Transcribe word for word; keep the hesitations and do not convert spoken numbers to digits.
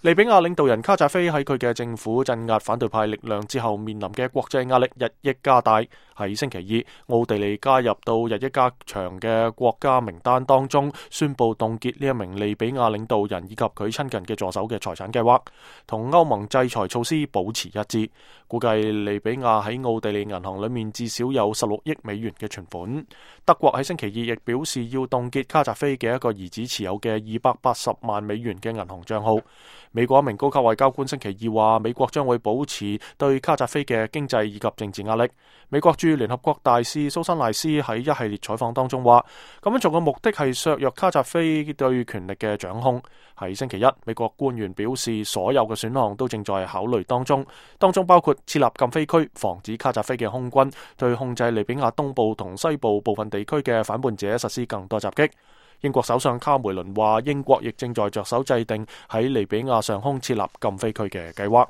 利比亞領導人卡扎菲喺佢嘅政府鎮壓反對派力量之後，面臨嘅國際壓力日益加大。喺星期二，奧地利加入到日益加長嘅國家名單當中，宣布凍結呢一名利比亞領導人以及佢親近嘅助手嘅財產計劃，同歐盟制裁措施保持一致。估計利比亞喺奧地利銀行裏面至少有十六億美元嘅存款。德國喺星期二亦表示要凍結卡扎菲嘅一個兒子持有嘅二百八十萬美元嘅銀行賬號。美國一名高級外交官星期二話，美國將會保持對卡扎菲嘅經濟以及政治壓力。美國駐聯合國大使蘇珊賴斯喺一系列採訪當中話，咁樣做嘅目的係削弱卡扎菲對權力嘅掌控。喺星期一，美國官員表示，所有嘅選項都正在考慮當中，當中包括設立禁飛區，防止卡扎菲嘅空軍對控制利比亞東部同西部部分地區嘅反叛者實施更多襲擊。英國首相卡梅倫話，英國亦正在着手制定喺利比亞上空設立禁飛區嘅計劃。